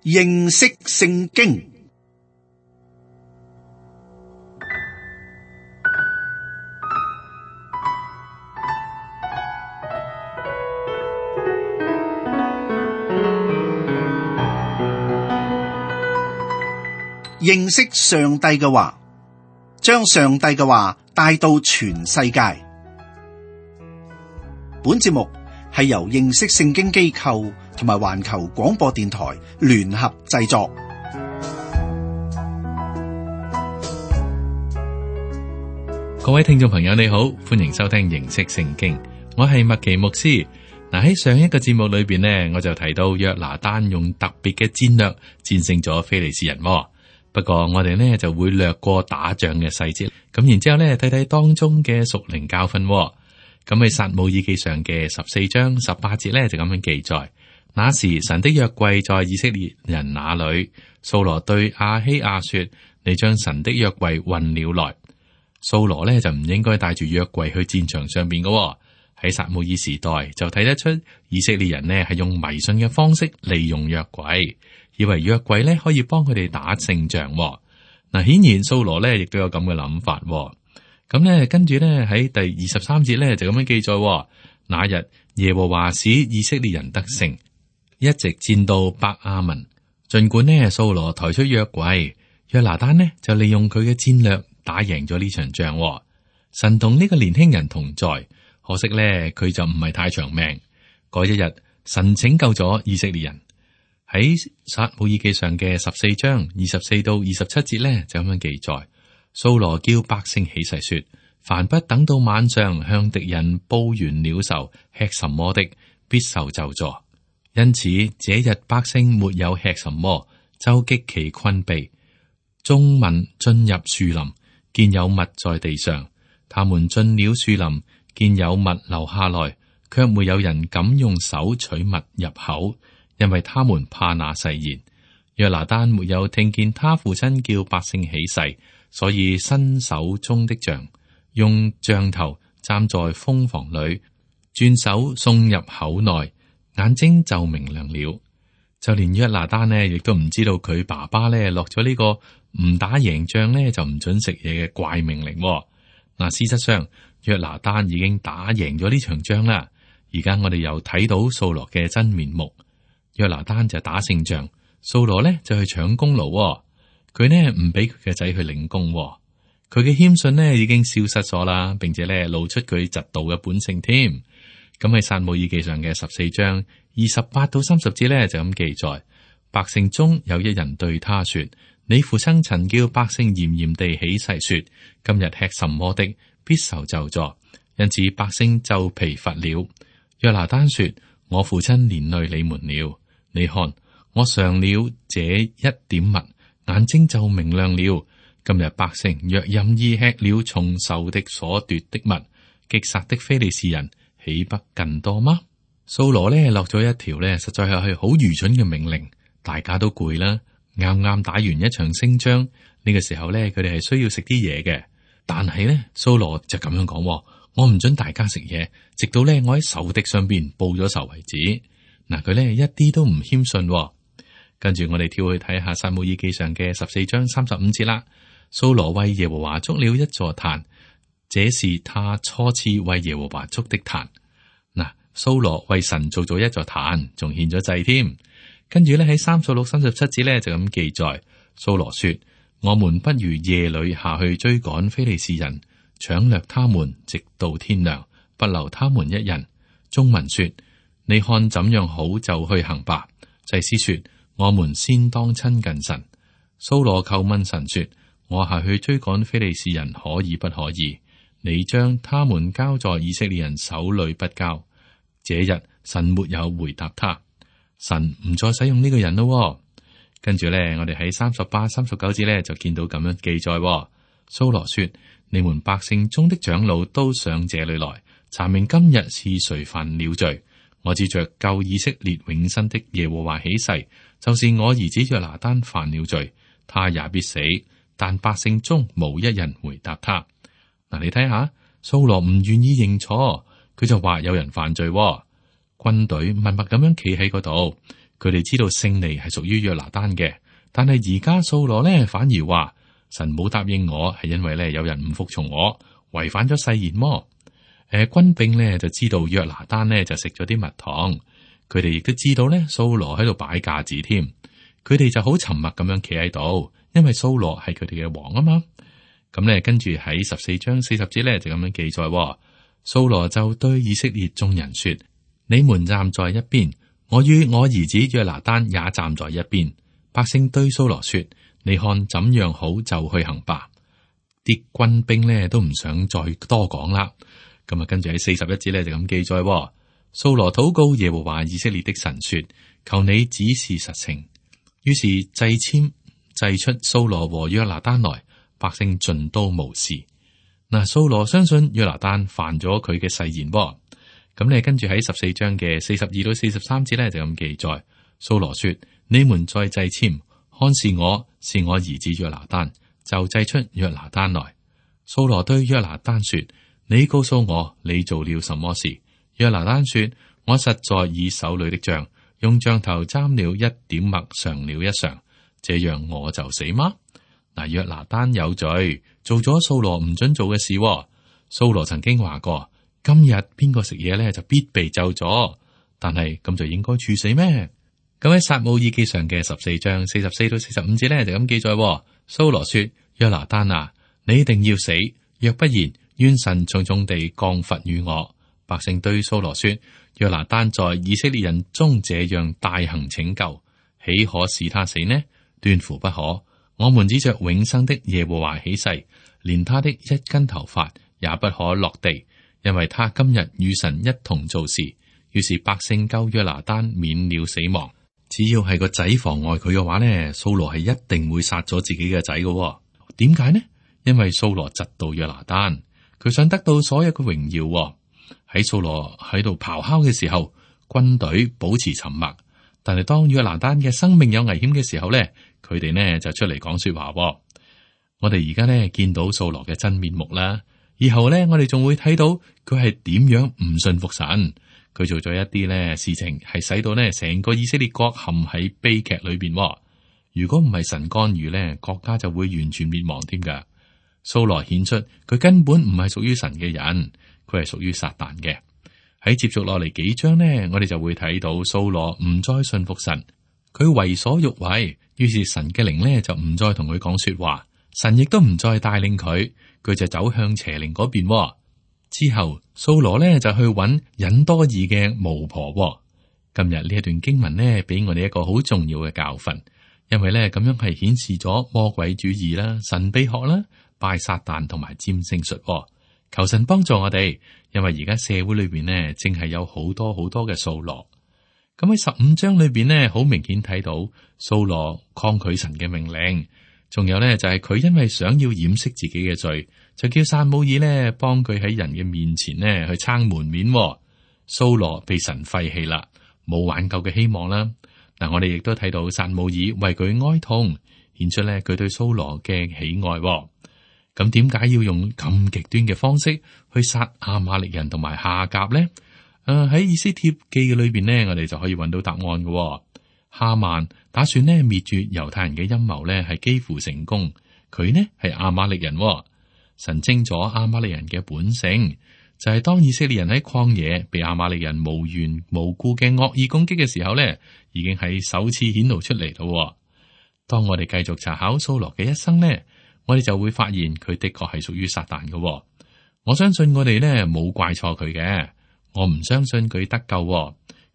認識聖經。認識上帝嘅話，將上帝嘅話帶到全世界。本節目係由認識聖經機構同埋環球廣播電台聯合製作。各位聽眾朋友你好，歡迎收聽認識聖經，我係麥奇牧師。嗱，喺上一個節目裏邊呢，我就提到約拿單用特別嘅戰略戰勝咗非利士人。不過我哋呢就會略過打仗嘅細節，咁然之後呢睇睇當中嘅屬靈教訓。咁喺撒母耳記上嘅14章18節呢就咁樣記載：那時神的約櫃在以色列人那裏，掃羅對亞希亞說：你將神的約櫃運了來。掃羅呢就唔應該帶住約櫃去戰場上邊嘅。喺撒母耳時代就睇得出以色列人呢係用迷信嘅方式利用約櫃，以為約櫃咧可以幫佢哋打勝仗。嗱，顯然掃羅咧亦都有咁嘅諗法。咁咧跟住咧喺第23節咧就咁樣記載：那日耶和華使以色列人得勝，一直戰到伯亞文。盡管呢掃羅抬出約櫃，約拿單呢就利用佢嘅戰略打贏咗呢場仗。神同呢個年輕人同在，可惜咧佢就唔係太長命。嗰一日神拯救咗以色列人。喺撒母耳記上嘅14章24到27節咧就咁樣記載：掃羅叫百姓起誓說，凡不等到晚上向敵人報完了仇，吃什麼的，必受咒詛。因此這日百姓沒有吃什麼，就極其困憊。眾民進入樹林，見有物在地上，他們進了樹林，見有物留下來，卻沒有人敢用手取物入口，因為他們怕那誓言。約拿單沒有聽見他父親叫百姓起誓，所以伸手中的杖，用杖頭站在蜂房裏，轉手送入口內，眼睛就明亮了。就連約拿單呢，亦都唔知道佢爸爸呢落咗呢個唔打贏仗呢就唔准食嘢嘅怪命令。嗱，事實上約拿單已經打贏咗呢場仗啦。而家我哋又睇到掃羅嘅真面目。約拿單就打勝仗，掃羅呢就去搶功勞。佢呢唔俾佢嘅仔去領功。佢嘅謙遜呢已經消失咗啦，並且呢露出佢嫉妒嘅本性添。咁喺撒母耳記上嘅14章28到30節呢就咁記載：百姓中有一人對他說，你父親曾叫百姓嚴嚴地起誓說，今日吃什麼的，必受咒詛。因此百姓就疲乏了。約拿單說，我父親連累你們了。你看，我嘗了這一點物，眼睛就明亮了。今日百姓若任意吃了從仇敵所奪的物，擊殺的非利士人豈不更多嗎？掃羅呢落咗一條呢，實在係好愚蠢嘅命令。大家都攰啦，啱啱打完一場勝仗，呢個時候呢，佢哋係需要食啲嘢嘅。但係呢，掃羅就咁樣講：我唔准大家食嘢，直到呢我喺仇敵上邊報咗仇為止。嗱，佢咧一啲都唔謙遜。跟住我哋跳去睇下撒母耳記上嘅14章35節啦。掃羅為耶和華築了一座壇，這是他初次為耶和華築的壇。嗱，掃羅為神做咗一座壇，仲獻咗祭添。跟住咧喺36、37節咧就咁記載：掃羅說，我們不如夜裏下去追趕非利士人，搶掠他們，直到天亮，不留他們一人。眾民說，你看怎樣好就去行吧。祭司說，我們先當親近神。掃羅求問神說，我下去追趕非利士人可以不可以？你將他們交在以色列人手裏不交。這日神沒有回答他，神唔再使用呢個人咯。跟住咧，我哋喺38、39節咧就見到咁樣記載。掃羅說，你們百姓中的長老都上這裏來，查明今日是誰犯了罪。我指着救以色列永生的耶和華起誓，就是我兒子約拿單犯了罪，他也必死。但百姓中無一人回答他。嗱，你睇下，掃羅唔願意認錯，佢就話有人犯罪。軍隊默默咁樣企喺嗰度，佢哋知道勝利係屬於約拿單嘅，但係而家掃羅呢反而話神冇答應我，係因為呢有人唔服從我，違反咗誓言麼？軍兵呢就知道約拿單呢就食咗啲蜜糖，佢哋亦都知道呢掃羅喺度擺架子添，佢哋就好沉默咁樣企喺度，因為掃羅係佢哋嘅王啊嘛。咁呢跟住喺14章40節呢就咁樣記載，掃羅就對以色列眾人說：你們站在一邊，我與我兒子約拿單也站在一邊。百姓對掃羅說：你看怎樣好就去行吧。啲軍兵呢都唔想再多講啦。咁啊，跟住喺41節呢就咁記載，掃羅禱告耶和華以色列的神說：求你指示實情。於是掣籤掣出掃羅和約拿單來，百姓盡都無事。嗱，掃羅相信約拿單犯咗佢嘅誓言。咁你跟住喺14章嘅42到43節呢就咁記載，掃羅說：你們再掣籤，看是我兒子約拿單，就掣出約拿單來。掃羅對約拿單說：你告訴我你做了什麼事？約拿單說：我實在以手裏的杖用杖頭沾了一點麥嘗了一嘗，這樣我就死嗎？嗱，約拿單有罪，做咗掃羅唔准做嘅事。掃羅曾經話過：今日邊個食嘢咧就必被咒咗，但係咁就應該處死咩？咁喺撒母耳記上嘅14章44到45節咧就咁記載，掃羅說：約拿單啊，你一定要死，若不然，願神重重地降罰與我。百姓對掃羅說：約拿單在以色列人中這樣大行拯救，豈可使他死呢？斷乎不可。我們指着永生的耶和華起誓，連他的一根頭髮也不可落地，因為他今日與神一同做事。於是百姓救約拿單免了死亡。只要係個仔妨礙佢嘅話呢，掃羅係一定會殺咗自己嘅仔嘅。點解呢？因為掃羅嫉妒約拿單，佢想得到所有嘅榮耀。喺掃羅喺度咆哮嘅時候，軍隊保持沉默。但係當約拿單嘅生命有危險嘅時候呢，佢哋呢就出嚟講說話。我哋而家呢見到掃羅嘅真面目啦。以後呢，我哋仲會睇到佢係點樣唔信服神。佢做咗一啲呢事情，係使到呢成個以色列國陷喺悲劇裏邊。如果唔係神干預呢，國家就會完全滅亡添噶。掃羅顯出佢根本唔係屬於神嘅人，佢係屬於撒旦嘅。喺接續落嚟幾章呢，我哋就會睇到掃羅唔再信服神，佢為所欲為，於是神嘅靈呢就唔再同佢講說話，神亦都唔再帶領佢，佢就走向邪靈嗰邊。之後掃羅呢就去揾隱多珥嘅巫婆。今日呢一段經文呢，俾我哋一個好重要嘅教訓，因為呢咁樣係顯示咗魔鬼主義啦、神秘學啦、拜撒旦同埋占星術。求神幫助我哋，因為而家社會裏邊呢，正係有好多嘅掃羅。咁喺15章裏邊呢，好明顯睇到掃羅抗拒神嘅命令，仲有呢，就係佢因為想要掩飾自己嘅罪，就叫撒母耳呢幫佢喺人嘅面前呢去撐門面。掃羅被神廢棄啦，冇挽救嘅希望啦。嗱，我哋亦都睇到撒母耳為佢哀痛，顯出呢佢對掃羅嘅喜愛。咁點解要用咁極端嘅方式去殺亞瑪力人同埋夏甲呢？喺以斯帖記裏邊呢，我哋就可以揾到答案嘅。哈曼打算呢滅絕猶太人嘅陰謀呢，係幾乎成功。佢呢係亞瑪力人，神徵咗亞瑪力人嘅本性，就係當以色列人喺曠野被亞瑪力人無緣無故嘅惡意攻擊嘅時候呢，已經係首次顯露出嚟咯。當我哋繼續查考掃羅嘅一生呢，我哋就會發現佢的確係屬於撒旦嘅。我相信我哋呢冇怪錯佢嘅，我唔相信佢得救。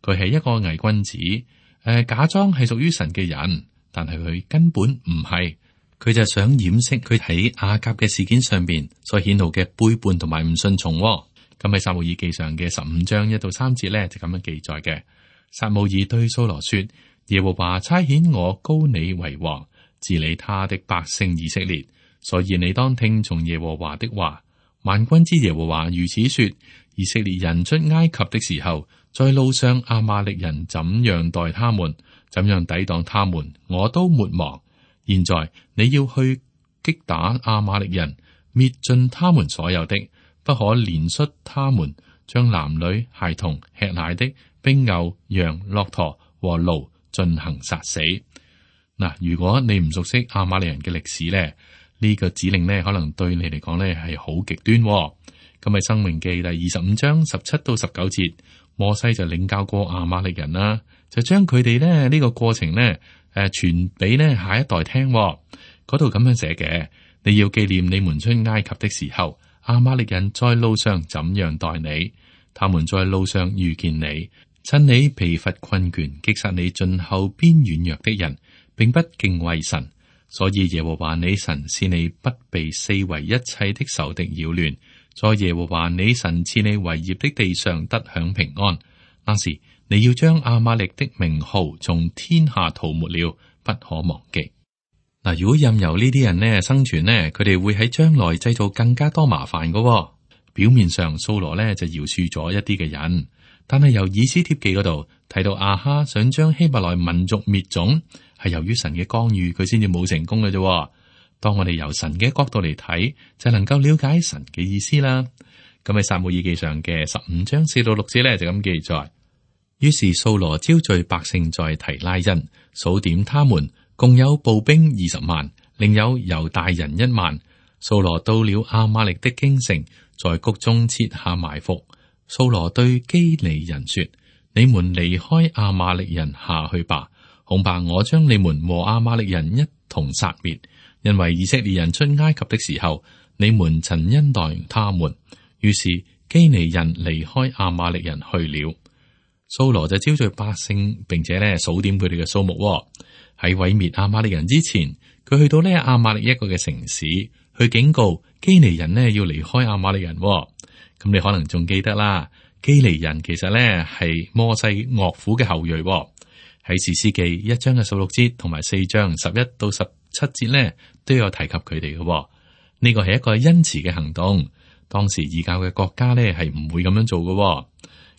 佢係一個偽君子，假裝係屬於神嘅人，但係佢根本唔係。佢就想掩飾佢喺亞甲嘅事件上邊所顯露嘅背叛同埋唔順從。咁喺撒母耳記上嘅15章1到3節呢，就咁樣記載嘅。撒母耳對掃羅說：耶和華差遣我膏你為王，治理他的百姓以色列。所以你當聽從耶和華的話。萬軍之耶和華如此說：以色列人出埃及的時候，在路上亞瑪力人怎樣待他們，怎樣抵擋他們，我都沒忘。現在你要去擊打亞瑪力人，滅盡他們所有的，不可憐恤他們，將男女孩童吃奶的，並牛羊駱駝和驢進行殺死。嗱，如果你唔熟悉亞瑪力人嘅歷史咧，呢個指令咧可能對你嚟講咧係好極端。咁喺《申命記》第25章17到19節，摩西就領教過亞瑪力人啦，就將佢哋咧呢個過程咧傳俾咧下一代聽。嗰度咁樣寫嘅：你要紀念你們出埃及的時候，亞瑪力人在路上怎樣待你，他們在路上遇見你，趁你疲乏困倦，擊殺你盡後邊軟弱的人，並不敬畏神。所以耶和華你神使你不被四圍一切的仇敵擾亂，在耶和華你神賜你為業的地上得享平安。那時你要將亞瑪力的名號從天下塗抹了，不可忘記。嗱，如果任由呢啲人呢生存呢，佢哋會喺將來製造更加多麻煩噶。表面上掃羅呢就饒恕咗一啲嘅人，但係由以斯帖記嗰度睇到亞哈想將希伯來民族滅種，係由於神嘅干預，佢先至冇成功嘅啫。當我哋由神嘅角度嚟睇，就能夠了解神嘅意思啦。咁喺撒母耳記上嘅15章4到6節咧就咁記載。於是掃羅招聚百姓在提拉因，數點他們，共有步兵20萬，另有猶大人1萬。掃羅到了亞瑪力的京城，在谷中設下埋伏。掃羅對基尼人說：你們離開亞瑪力人下去吧，恐怕我將你們和亞瑪力人一同殺滅。因為以色列人出埃及的時候，你們曾恩待他們。於是基尼人離開亞瑪力人去了。掃羅就招聚百姓，並且咧數點佢哋嘅數目。喺毀滅亞瑪力人之前，佢去到呢亞瑪力一個嘅城市，去警告基尼人呢要離開亞瑪力人。咁你可能仲記得啦，基尼人其實呢係摩西岳父嘅後裔。喺士師記1章嘅16節同埋4章11到17節呢都有提及佢哋嘅。呢個係一個恩慈嘅行動。當時異教嘅國家呢係唔會咁樣做嘅。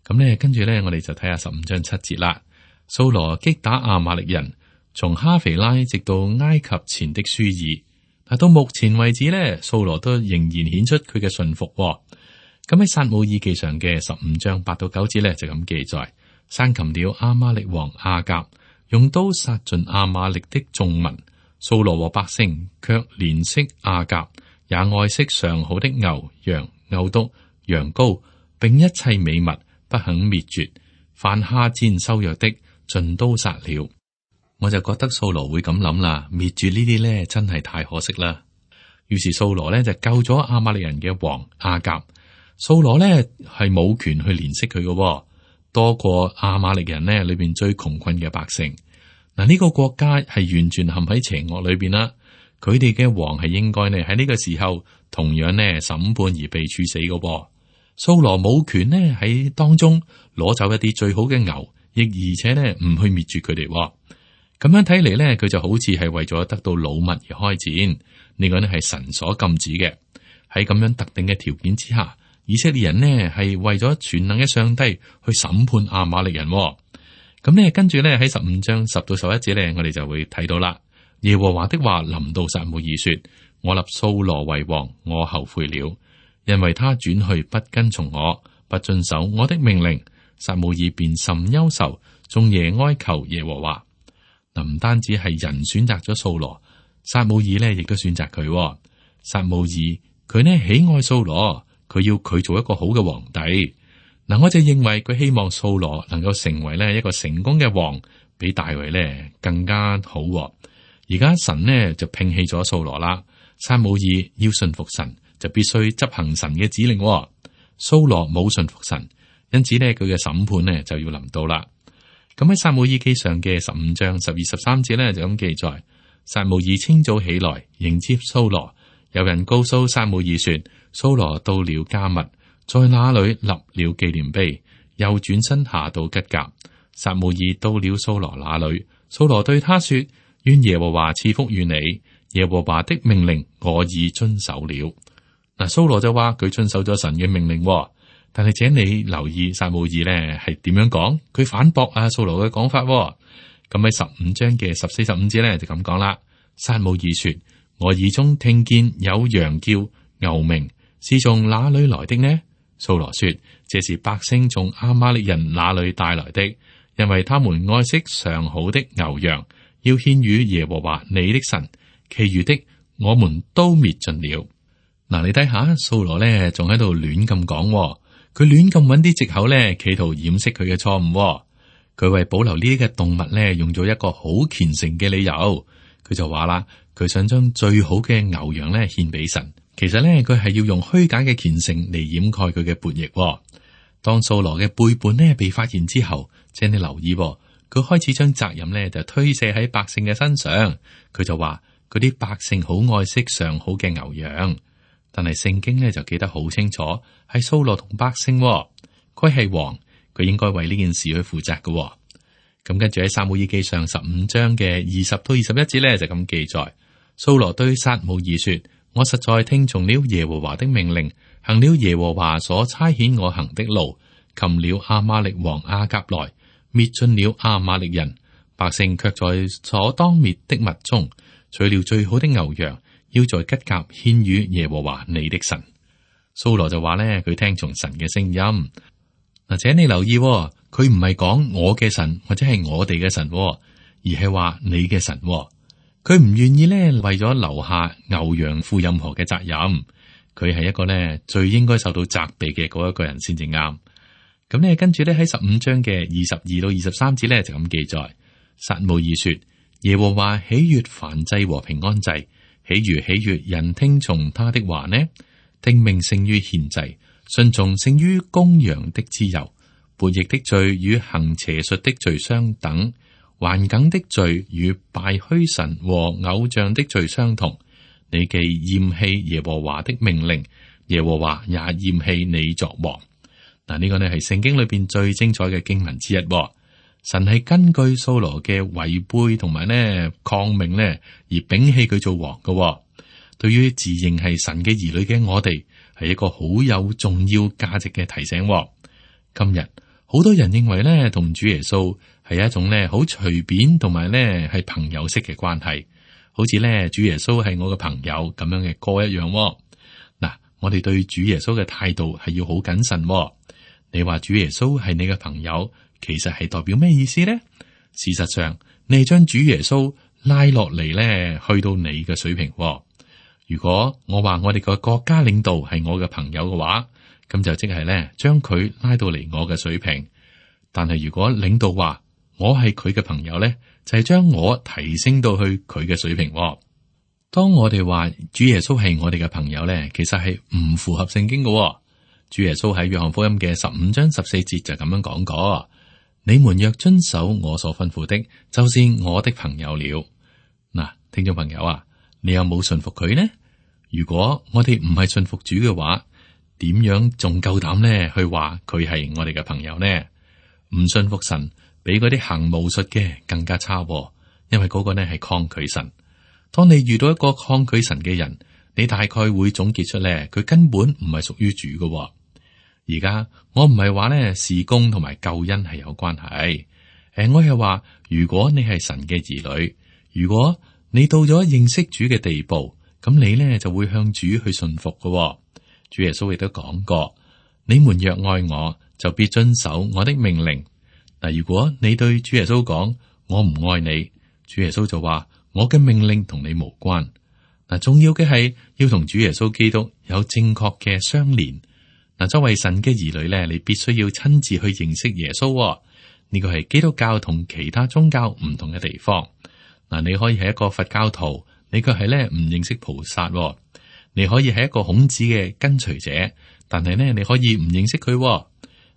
咁呢跟住呢，我哋就睇下15章7節啦。掃羅擊打亞瑪力人，從哈肥拉直到埃及前的舒爾。但到目前為止呢，掃羅都仍然顯出佢嘅信服。咁喺撒母耳記上嘅15章8到9節呢，就咁記載：生擒了亞瑪力王亞甲，用刀殺盡亞瑪力的眾民。掃羅和百姓卻憐惜亞甲，也愛惜上好的牛羊、牛犢、羊羔，並一切美物，不肯滅絕。凡下賤瘦弱的，盡都殺了。我就覺得掃羅會咁諗啦，滅絕呢啲呢真係太可惜啦。於是掃羅呢就救咗亞瑪力人嘅王亞甲。掃羅呢係冇權去憐惜佢嘅，多過亞瑪力人呢裏邊最窮困嘅百姓。嗱，呢個國家係完全陷喺邪惡裏邊啦。佢哋嘅王係應該呢喺呢個時候同樣呢審判而被處死嘅。掃羅冇權呢喺當中攞走一啲最好嘅牛，亦而且呢唔去滅絕佢哋。咁樣睇嚟呢，佢就好似係為咗得到擄物而開戰。呢個呢係神所禁止嘅。喺咁樣特定嘅條件之下，以色列人呢係為咗全能嘅上帝去審判亞瑪力人。咁呢跟住呢喺15章10到11節呢，我哋就會睇到啦。耶和華的話臨到撒母耳說：我立掃羅為王，我後悔了，因為他轉去不跟從我，不遵守我的命令。撒母耳便甚憂愁，終夜哀求耶和華。嗱，唔單止係人選擇咗掃羅，撒母耳呢亦都選擇佢。撒母耳佢呢喜愛掃羅，佢要佢做一個好嘅皇帝。嗱，我就認為佢希望掃羅能夠成為呢一個成功嘅王，比大衛呢更加好。而家神呢就摒棄咗掃羅啦，撒母耳要順服神，就必須執行神嘅指令。掃羅冇順服神，因此呢佢嘅審判呢就要臨到啦。咁喺撒母耳記上嘅15章12、13節呢就咁記載：撒母耳清早起來迎接掃羅，有人告訴撒母耳說，掃羅到了迦密，在那裏立了紀念碑，又轉身下到吉甲。撒母耳到了掃羅那裏，掃羅對他說：願耶和華賜福與你，耶和華的命令我已遵守了。嗱，掃羅就話佢遵守咗神嘅命令，但係請你留意撒母耳呢係點樣講，佢反駁掃羅嘅講法。咁喺15章嘅14、15節呢就咁講啦。撒母耳說：我耳中聽見有羊叫、牛鳴，是從哪裏來的呢？掃羅說：這是百姓從亞瑪力人那裏帶來的，因為他們愛惜上好的牛羊，要獻與耶和華你的神，其餘的我們都滅盡了。嗱，你睇下掃羅咧，仲喺度亂咁講，佢亂咁揾啲藉口咧，企圖掩飾佢嘅錯誤。佢為保留呢啲嘅動物咧，用咗一個好虔誠嘅理由。佢就話啦，佢想將最好嘅牛羊咧獻俾神。其實咧，佢係要用虛假嘅虔誠嚟掩蓋佢嘅叛逆。當掃羅嘅背叛呢被發現之後，請你留意，佢開始將責任咧就推卸喺百姓嘅身上。佢就話嗰啲百姓好愛惜上好嘅牛羊，但係聖經咧就記得好清楚，係掃羅同百姓，佢係王，佢應該為呢件事去負責嘅。咁跟住喺撒母耳記上15章嘅20到21節咧就咁記載，掃羅對撒母耳說：我實在聽從了耶和華的命令，行了耶和華所差遣我行的路，擒了亞瑪力王亞甲來，滅盡了亞瑪力人，百姓卻在所當滅的物中取了最好的牛羊，要在吉甲獻與耶和華你的神。掃羅就話咧，佢聽從神嘅聲音。嗱，請你留意，佢唔係講我嘅神或者係我哋嘅神，而係話你嘅神。佢唔願意咧為咗留下牛羊負任何嘅責任。佢係一個咧最應該受到責備嘅嗰一個人先至啱。咁咧跟住咧喺15章嘅22到23節咧就咁記載，撒母耳說：耶和華喜悅燔祭和平安祭，豈如喜悅人聽從他的話呢？聽命勝於獻祭，順從勝於公羊的脂油。悖逆的罪與行邪術的罪相等，頑梗的罪與拜虛神和偶像的罪相同。你既厭棄耶和華的命令，耶和華也厭棄你作王。嗱，呢個呢係聖經裏邊最精彩嘅經文之一。神係根據掃羅嘅違背同埋呢抗命呢而摒棄佢做王嘅。對於自認係神嘅兒女嘅我哋，係一個好有重要價值嘅提醒。今日好多人認為咧，同主耶穌係一種咧好隨便同埋咧係朋友式嘅關係，好似咧主耶穌係我嘅朋友咁樣嘅歌一樣。嗱，我哋對主耶穌嘅態度係要好謹慎。你話主耶穌係你嘅朋友，其實係代表咩意思呢？事實上，你係將主耶穌拉落嚟咧，去到你嘅水平。如果我話我哋個國家領導係我嘅朋友嘅話，咁就即係咧將佢拉到嚟我嘅水平。但係如果領導話我係佢嘅朋友咧，就係將我提升到去佢嘅水平。當我哋話主耶穌係我哋嘅朋友咧，其實係唔符合聖經嘅。主耶穌喺約翰福音嘅15章14節就咁樣講過：你們若遵守我所吩咐的，就是我的朋友了。嗱，聽眾朋友啊，你有冇信服佢呢？如果我哋唔係信服主嘅話，點樣仲夠膽呢去話佢係我哋嘅朋友呢？唔信服神，比嗰啲行巫術嘅更加差，因為嗰個呢係抗拒神。當你遇到一個抗拒神嘅人，你大概會總結出咧，佢根本唔係屬於主嘅。而家我唔係話咧事工同埋救恩係有關係，我係話如果你係神嘅兒女，如果你到咗認識主嘅地步，咁你咧就會向主去信服嘅。主耶穌亦都講過：你們若愛我，就必遵守我的命令。嗱，如果你對主耶穌講我唔愛你，主耶穌就話我嘅命令同你無關。嗱，重要嘅係要同主耶穌基督有正確嘅相連。嗱，作為神嘅兒女咧，你必須要親自去認識耶穌。呢個係基督教同其他宗教唔同嘅地方。嗱，你可以係一個佛教徒，你卻係咧唔認識菩薩。你可以係一個孔子嘅跟隨者，但係呢，你可以唔認識佢。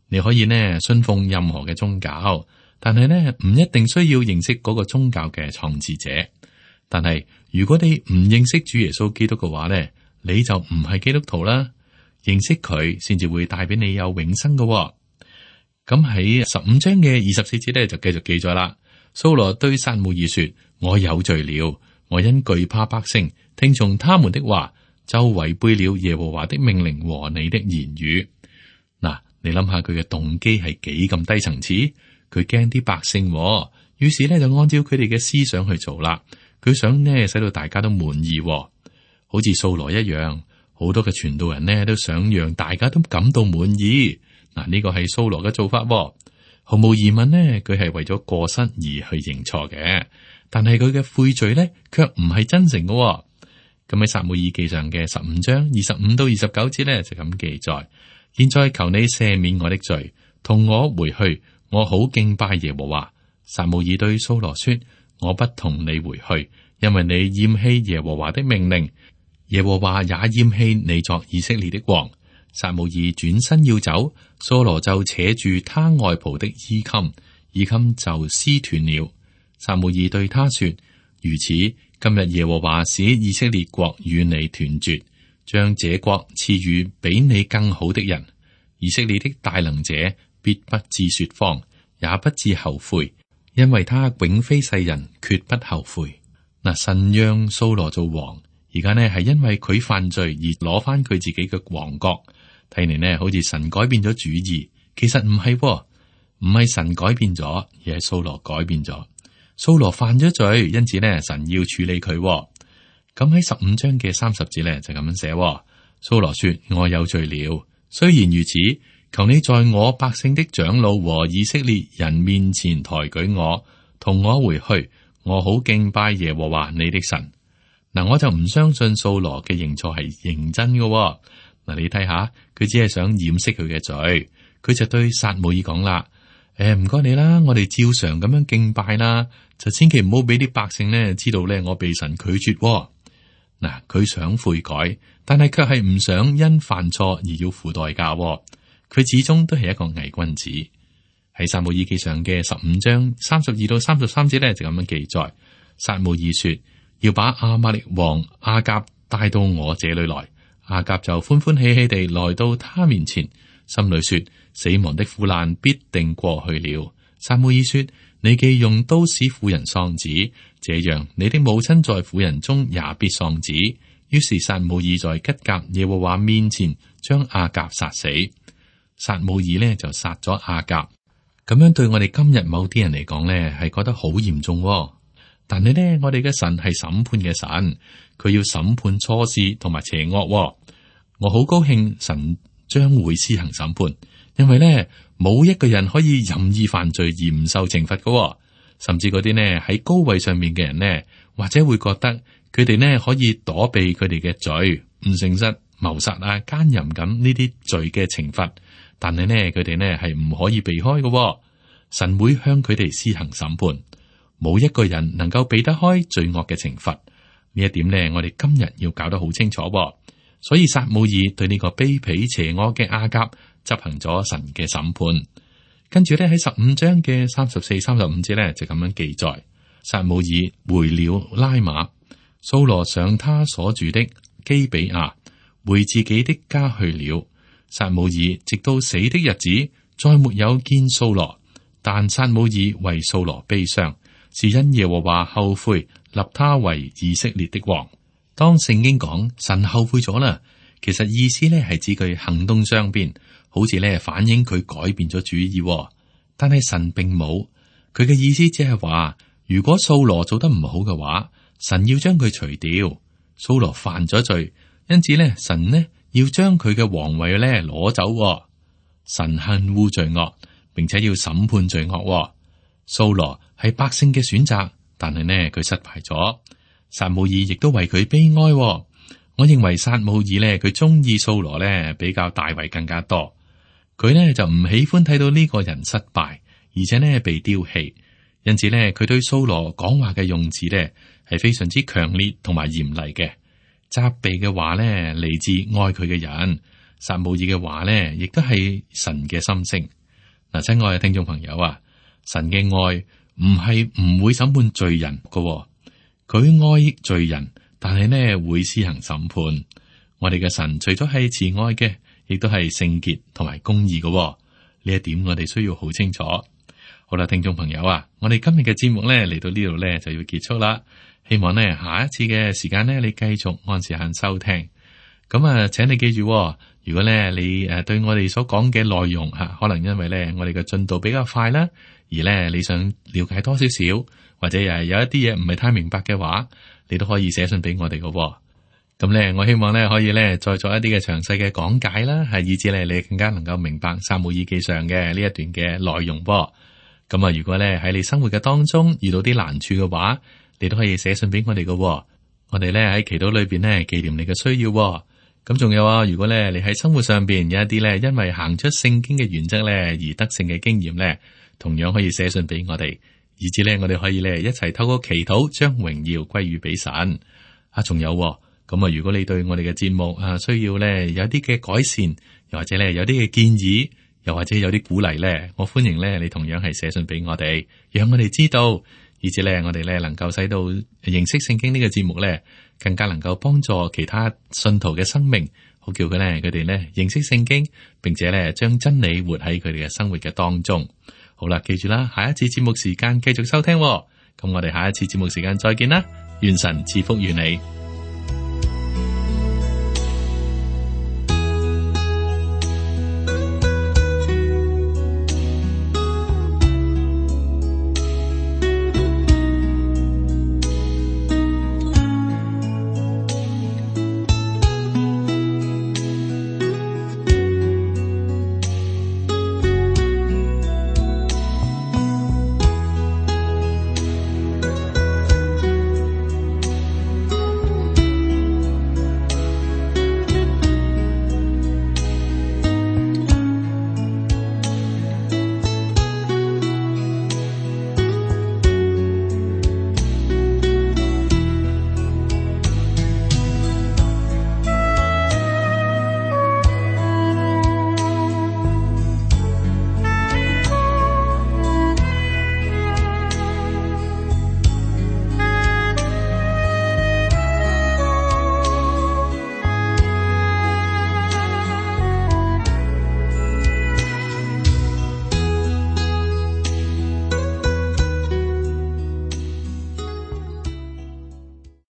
你可以呢信奉任何嘅宗教，但係呢唔一定需要認識嗰個宗教嘅創始者。但係如果你唔認識主耶穌基督嘅話呢，你就唔係基督徒啦。認識佢先至會帶俾你有永生嘅。咁喺15章嘅24節咧就繼續記載啦。掃羅對撒母耳說：我有罪了，我因懼怕百姓，聽從他們的話，就違背了耶和華的命令和你的言語。嗱，你諗下佢嘅動機係幾咁低層次？佢驚啲百姓，於是咧就按照佢哋嘅思想去做啦。佢想呢使到大家都滿意，好似掃羅一樣。好多嘅傳道人呢都想讓大家都感到滿意。嗱，呢個係掃羅嘅做法。毫無疑問呢，佢係為咗過失而去認錯嘅，但係佢嘅悔罪呢，卻唔係真誠嘅。咁喺撒母耳記上嘅15章25到29節呢，就咁記載：現在求你赦免我的罪，同我回去，我好敬拜耶和華。撒母耳對掃羅說：我不同你回去，因為你厭棄耶和華的命令，耶和華也厭棄你作以色列的王。撒母耳轉身要走，掃羅就扯住他外袍的衣襟，衣襟就撕斷了。撒母耳對他說：如此，今日耶和華使以色列國與你斷絕，將這國賜予比你更好的人。以色列的大能者必不致說謊，也不致後悔，因為他永非世人，決不後悔。嗱，神讓掃羅做王，而家呢係因為佢犯罪而攞翻佢自己嘅王國。睇嚟呢，好似神改變咗主意，其實唔係，唔係神改變咗，而係掃羅改變咗。掃羅犯咗罪，因此呢，神要處理佢。咁喺15章嘅30節呢，就咁樣寫：掃羅說：我有罪了。雖然如此，求你在我百姓的長老和以色列人面前抬舉我，同我回去，我好敬拜耶和華你的神。嗱，我就唔相信掃羅嘅認錯係認真嘅。嗱，你睇下，佢只係想掩飾佢嘅罪，佢就對撒母耳講啦：唔該你啦，我哋照常咁樣敬拜啦，就千祈唔好俾啲百姓呢知道咧我被神拒絕。嗱，佢想悔改，但係卻係唔想因犯錯而要付代價。佢始終都係一個偽君子。喺撒母耳記上嘅15章32到33節咧就咁樣記載：撒母耳說，要把亞瑪力王亞甲帶到我這裏來。亞甲就歡歡喜喜地來到他面前，心裏說：死亡的苦難必定過去了。撒母耳說：你既用刀使婦人喪子，這樣你的母親在婦人中也必喪子。於是撒母耳在吉甲耶和華面前將亞甲殺死。撒母耳呢就殺咗亞甲。咁樣對我哋今日某啲人嚟講呢，係覺得好嚴重。但係呢，我哋嘅神係審判嘅神，佢要審判錯事同埋邪惡。我好高興神將會施行審判，因為呢，冇一個人可以任意犯罪而唔受懲罰嘅。甚至嗰啲呢喺高位上面嘅人呢，或者會覺得佢哋呢可以躲避佢哋嘅罪，唔誠實、謀殺啊、奸淫咁呢啲罪嘅懲罰。但係呢，佢哋呢係唔可以避開嘅。神會向佢哋施行審判。冇一個人能夠避得開罪惡嘅懲罰，呢一點呢，我哋今日要搞得好清楚。所以撒母耳對呢個卑鄙邪惡嘅亞甲執行咗神嘅審判。跟住呢，喺15章嘅34、35節呢，就咁樣記載：撒母耳回了拉馬，掃羅上他所住的基比亞，回自己的家去了。撒母耳直到死的日子，再沒有見掃羅，但撒母耳為掃羅悲傷，是因耶和華後悔立他為以色列的王。當聖經講神後悔咗啦，其實意思咧係指佢行動上邊，好似咧反映佢改變咗主意。但係神並冇，佢嘅意思只係話，如果掃羅做得唔好嘅話，神要將佢除掉。掃羅犯咗罪，因此咧神呢要將佢嘅皇位咧攞走。神恨惡罪惡，並且要審判罪惡。掃羅係百姓嘅選擇，但係呢佢失敗咗。撒母耳亦都為佢悲哀。我認為撒母耳呢，佢中意掃羅呢比較大衛更加多。佢呢就唔喜歡睇到呢個人失敗，而且呢被丟棄。因此呢，佢對掃羅講話嘅用字呢係非常之強烈同埋嚴厲嘅。責備嘅話呢嚟自愛佢嘅人。撒母耳嘅話呢亦都係神嘅心聲。嗱，親愛嘅聽眾朋友啊，神嘅愛唔係唔會審判罪人㗎。佢愛罪人，但係呢會施行審判。我哋嘅神除咗係慈愛嘅，亦都係聖潔同埋公義嘅。呢一點我哋需要好清楚。好啦，聽眾朋友啊，我哋今日嘅節目呢嚟到呢度呢就要結束啦。希望呢下一次嘅時間呢，你繼續按時間收聽。咁啊，請你記住，如果呢你對我哋所講嘅內容吓，可能因為呢我哋嘅進度比較快啦，而呢你想了解多少少，或者有一啲嘢唔係太明白嘅話，你都可以寫信俾我哋嘅。咁咧，我希望咧可以咧再作一啲嘅詳細嘅講解啦，係以至咧你更加能夠明白撒母耳記上嘅呢一段嘅內容噃。咁啊，如果咧喺你生活嘅當中遇到啲難處嘅話，你都可以寫信俾我哋嘅。我哋咧喺祈禱裏邊咧紀念你嘅需要。咁仲有啊，如果咧你喺生活上邊有一啲咧因為行出聖經嘅原則咧而得勝嘅經驗咧，同樣可以寫信俾我哋，以至咧我哋可以咧一齊透過祈禱將榮耀歸於俾神。啊，仲有咁啊，如果你對我哋嘅節目需要咧有啲嘅改善，又或者咧有啲嘅建議，又或者有啲鼓勵咧，我歡迎咧你同樣係寫信俾我哋，讓我哋知道，以至咧我哋咧能夠使到認識聖經呢個節目咧，更加能夠幫助其他信徒嘅生命，好叫佢哋咧認識聖經，並且咧將真理活喺佢哋嘅生活嘅當中。好啦，記住啦，下一次節目時間繼續收聽。咁我哋下一次節目時間再見啦，願神賜福於你。